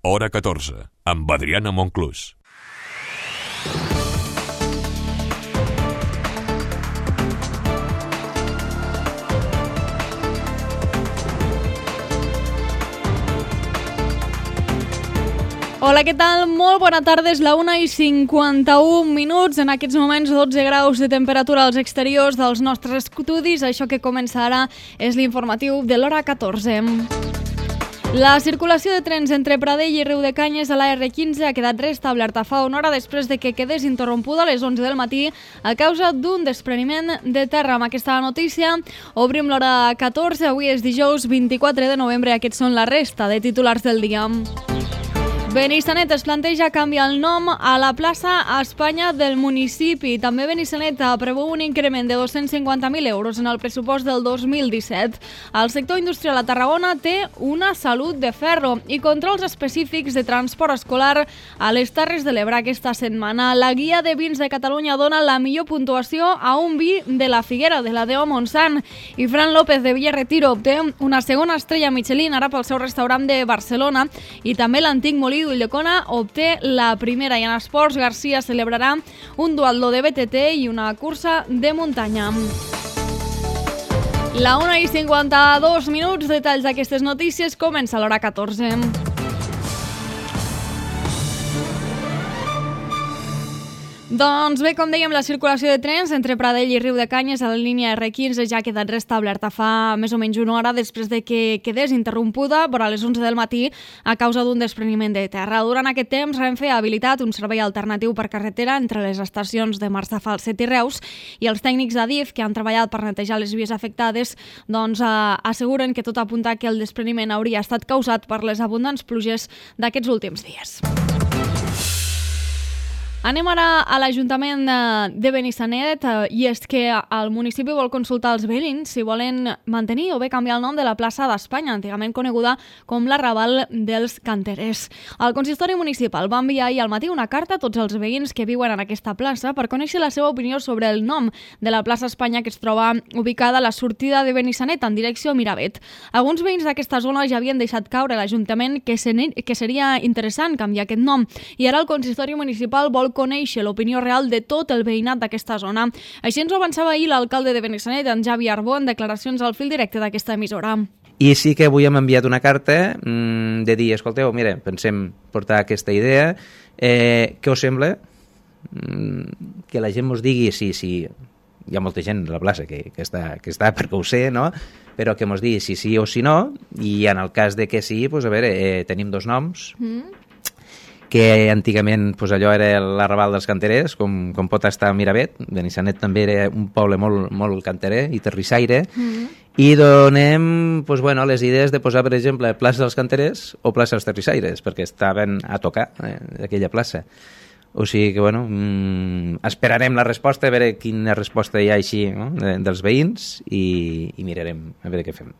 Hora 14, amb Adriana Monclús. Hola, què tal? Molt bona tarda, és la 1:51. En aquests moments 12 graus de temperatura als exteriors dels nostres estudis. Això que comença ara és l'informatiu de l'hora 14. La circulació de trens entre Pradell i Riudecanyes a la R15 ha quedat restablerta fa una hora després de que quedés interrompuda a les 11 del matí a causa d'un despreniment de terra. Amb aquesta notícia obrim l'hora 14. Avui és dijous 24 de novembre. Aquests són la resta de titulars del dia. Benissanet es planteja canviar el nom a la plaça Espanya del municipi. També Benissanet preveu un increment de 250.000 euros en el pressupost del 2017. El sector industrial a Tarragona té una salut de ferro i controls específics de transport escolar a les Terres de l'Ebre aquesta setmana. La guia de vins de Catalunya dona la millor puntuació a un vi de la Figuera, de la Deo Montsant. I Fran López de Villarretiro obté una segona estrella Michelin ara pel seu restaurant de Barcelona, i també l'antic molí d'Ulldecona obté la primera. I en esports, Garcia celebrarà un duatló de BTT i una cursa de muntanya. La 1:52. Detalls d'aquestes notícies. Comença l'hora 14. Doncs bé, com dèiem, la circulació de trens entre Pradell i Riudecanyes a la línia R15 ja ha quedat restablerta fa més o menys una hora després de que quedés interrompuda vora les 11 del matí a causa d'un despreniment de terra. Durant aquest temps, Renfe ha habilitat un servei alternatiu per carretera entre les estacions de Marzafalset i Reus, i els tècnics d'Adif que han treballat per netejar les vies afectades asseguren que tot apunta que el despreniment hauria estat causat per les abundants pluges d'aquests últims dies. Anem ara a l'Ajuntament de Benissanet, i és que el municipi vol consultar els veïns si volen mantenir o bé canviar el nom de la plaça d'Espanya, antigament coneguda com l'Arrabal dels Canterers. El consistori municipal va enviar ahir al matí una carta a tots els veïns que viuen en aquesta plaça per conèixer la seva opinió sobre el nom de la plaça Espanya, que es troba ubicada a la sortida de Benissanet en direcció a Miravet. Alguns veïns d'aquesta zona ja havien deixat caure a l'Ajuntament que seria interessant canviar aquest nom, i ara el consistori municipal vol conèixer l'opinió real de tot el veïnat d'aquesta zona. Així ens ho avançava ahir l'alcalde de Benissanet, en Javi Arbó, en declaracions al fil directe d'aquesta emissora. I sí que avui hem enviat una carta de dir, escolteu, mira, pensem portar aquesta idea, què us sembla? Que la gent ens digui si hi ha molta gent a la plaça que està perquè ho sé, no? Però que ens digui si sí o si no, i en el cas de que sí, doncs a veure, tenim dos noms, que antigament allò era l'Arrabal dels Canterers, com pot estar a Miravet. Benissanet també era un poble molt canterer i terrissaire, i donem les idees de posar, per exemple, plaça dels Canterers o plaça dels Terrissaires, perquè estaven a tocar aquella plaça. O sigui que, esperarem la resposta, a veure quina resposta hi ha així, no? dels veïns, i mirarem a veure què fem.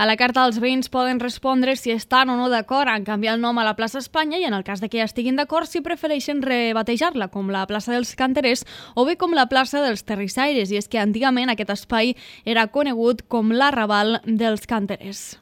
A la carta, els veïns poden respondre si estan o no d'acord en canviar el nom a la plaça Espanya, i en el cas de que ja estiguin d'acord, si prefereixen rebatejar-la com la plaça dels Canterers o bé com la plaça dels Terrissaires. I és que antigament aquest espai era conegut com l'Arrabal dels Canterers.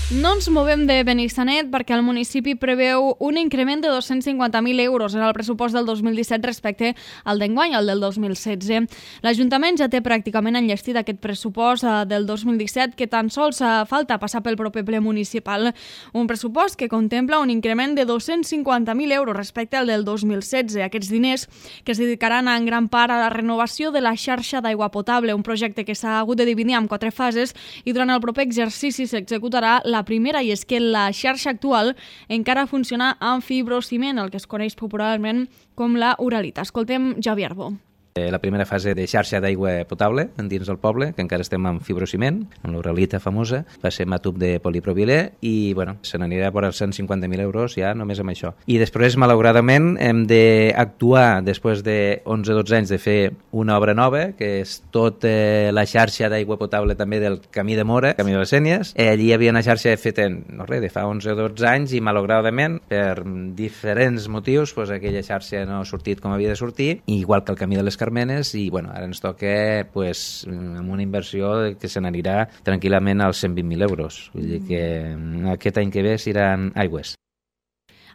No ens movem de Benissanet perquè el municipi preveu un increment de 250.000 euros en el pressupost del 2017 respecte al d'enguany, el del 2016. L'Ajuntament ja té pràcticament enllestit aquest pressupost del 2017, que tan sols falta passar pel proper ple municipal. Un pressupost que contempla un increment de 250.000 euros respecte al del 2016. Aquests diners que es dedicaran en gran part a la renovació de la xarxa d'aigua potable, un projecte que s'ha hagut de dividir en 4 fases, i durant el proper exercici s'executarà la primera, i és que la xarxa actual encara funciona amb fibrociment, el que es coneix popularment com la uralita. Escoltem Javi Arbó. La primera fase de xarxa d'aigua potable dins del poble, que encara estem amb fibrociment, amb l'uralita famosa, va ser amb tub de polipropilè, i se n'anirà per als 150.000 euros ja només amb això. I després, malauradament, hem d'actuar, després de 11-12 anys, de fer una obra nova, que és tota la xarxa d'aigua potable també del Camí de Mora, Camí de les Sénies. Allí hi havia una xarxa feta de fa 11-12 anys, i malauradament, per diferents motius, aquella xarxa no ha sortit com havia de sortir, igual que el Camí de les Carmenes i bueno, ara ens toca pues, amb una inversió que se n'anirà tranquil·lament als 120.000 euros. Vull dir que aquest any que ve seran aigües.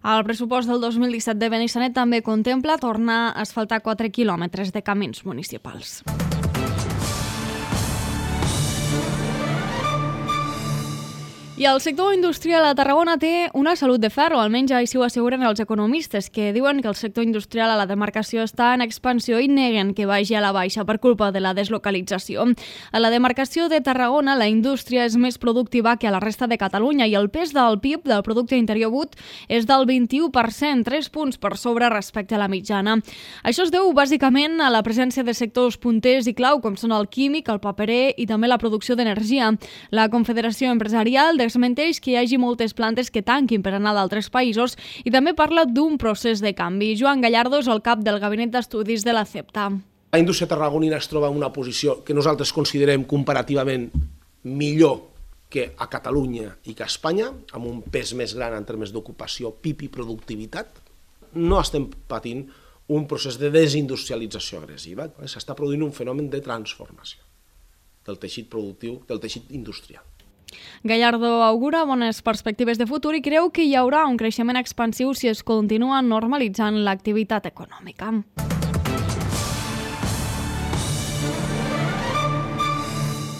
El pressupost del 2017 de Benissanet també contempla tornar a asfaltar 4 quilòmetres de camins municipals. I el sector industrial a Tarragona té una salut de ferro, almenys així ho asseguren els economistes, que diuen que el sector industrial a la demarcació està en expansió i neguen que vagi a la baixa per culpa de la deslocalització. A la demarcació de Tarragona, la indústria és més productiva que a la resta de Catalunya i el pes del PIB, del producte interior brut, és del 21%, 3 punts per sobre respecte a la mitjana. Això es deu bàsicament a la presència de sectors punters i clau, com són el químic, el paperer i també la producció d'energia. La Confederació Empresarial desmenteix que hi hagi moltes plantes que tanquin per anar d'altres països i també parla d'un procés de canvi. Joan Gallardo és el cap del Gabinet d'Estudis de la CEPTA. La indústria tarragonina es troba en una posició que nosaltres considerem comparativament millor que a Catalunya i que a Espanya, amb un pes més gran en termes d'ocupació, PIB i productivitat. No estem patint un procés de desindustrialització agressiva. S'està produint un fenomen de transformació del teixit productiu, del teixit industrial. Gallardo augura bones perspectives de futur i creu que hi haurà un creixement expansiu si es continua normalitzant l'activitat econòmica.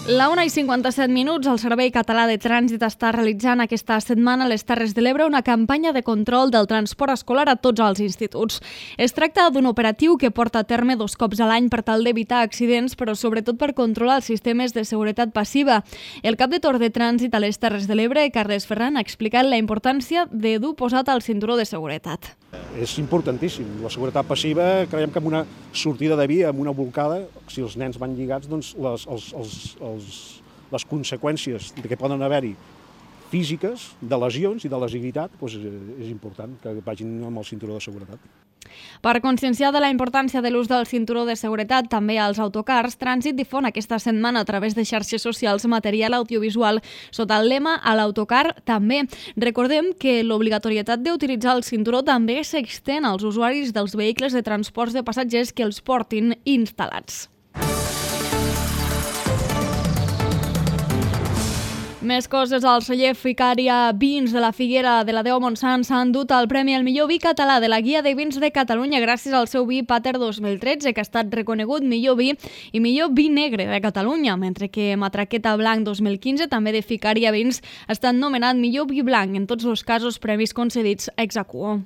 La 1:57, el Servei Català de Trànsit està realitzant aquesta setmana a les Terres de l'Ebre una campanya de control del transport escolar a tots els instituts. Es tracta d'un operatiu que porta a terme 2 cops a l'any per tal d'evitar accidents, però sobretot per controlar els sistemes de seguretat passiva. El cap de torn de trànsit a les Terres de l'Ebre, Carles Ferran, ha explicat la importància de dur posat el cinturó de seguretat. És importantíssim. La seguretat passiva, creiem que amb una sortida de via, amb una bolcada, si els nens van lligats, doncs les conseqüències que poden haver-hi físiques, de lesions i de lesivitat, doncs és important que vagin amb el cinturó de seguretat. Per conscienciar de la importància de l'ús del cinturó de seguretat també als autocars, Trànsit difon aquesta setmana a través de xarxes socials material audiovisual sota el lema "A l'autocar també". Recordem que l'obligatorietat d'utilitzar el cinturó també s'extén als usuaris dels vehicles de transports de passatgers que els portin instal·lats. Més coses, el celler Ficària Vins de la Figuera de la Déu Montsant s'ha endut el premi al millor vi català de la Guia de Vins de Catalunya gràcies al seu vi Pater 2013, que ha estat reconegut millor vi i millor vi negre de Catalunya, mentre que Matraqueta Blanc 2015, també de Ficària Vins, ha estat nomenat millor vi blanc, en tots els casos premis concedits ex aequo.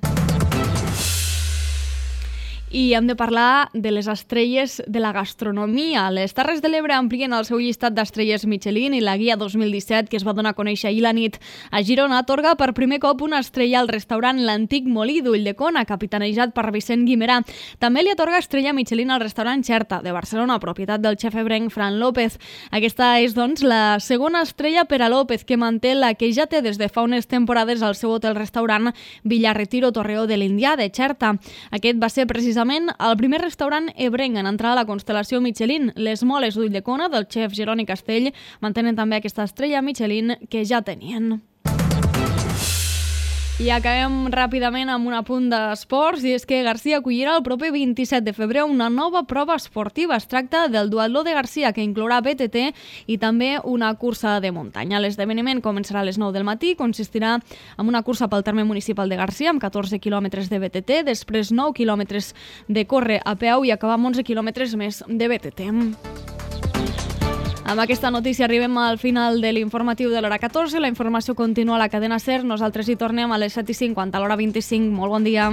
I hem de parlar de les estrelles de la gastronomia. Les Terres de l'Ebre amplien el seu llistat d'estrelles Michelin i la Guia 2017, que es va donar a conèixer ahir la nit a Girona, atorga per primer cop una estrella al restaurant L'Antic Molí d'Ulldecona, capitanejat per Vicent Guimerà. També li atorga estrella Michelin al restaurant Xerta, de Barcelona, propietat del xef ebrenc Fran López. Aquesta és, doncs, la segona estrella per a López, que manté la que ja té des de fa unes temporades al seu hotel-restaurant Villarretiro Torreó de l'Indià, de Xerta. Aquest va ser precisament el primer restaurant ebrenc en entrar a la constel·lació Michelin. Les Moles d'Ulldecona, del xef Jeroni Castell, mantenen també aquesta estrella Michelin que ja tenien. I acabem ràpidament amb un apunt d'esports, i és que Garcia acollirà el proper 27 de febrer una nova prova esportiva. Es tracta del duatló de Garcia, que inclourà BTT i també una cursa de muntanya. L'esdeveniment començarà a les 9 del matí, consistirà en una cursa pel terme municipal de Garcia amb 14 quilòmetres de BTT, després 9 quilòmetres de córrer a peu i acabar amb 11 quilòmetres més de BTT. Amb aquesta notícia arribem al final de l'informatiu de l'hora 14. La informació continua a la cadena SER. Nosaltres hi tornem a les 7:50, a l'hora 25. Molt bon dia.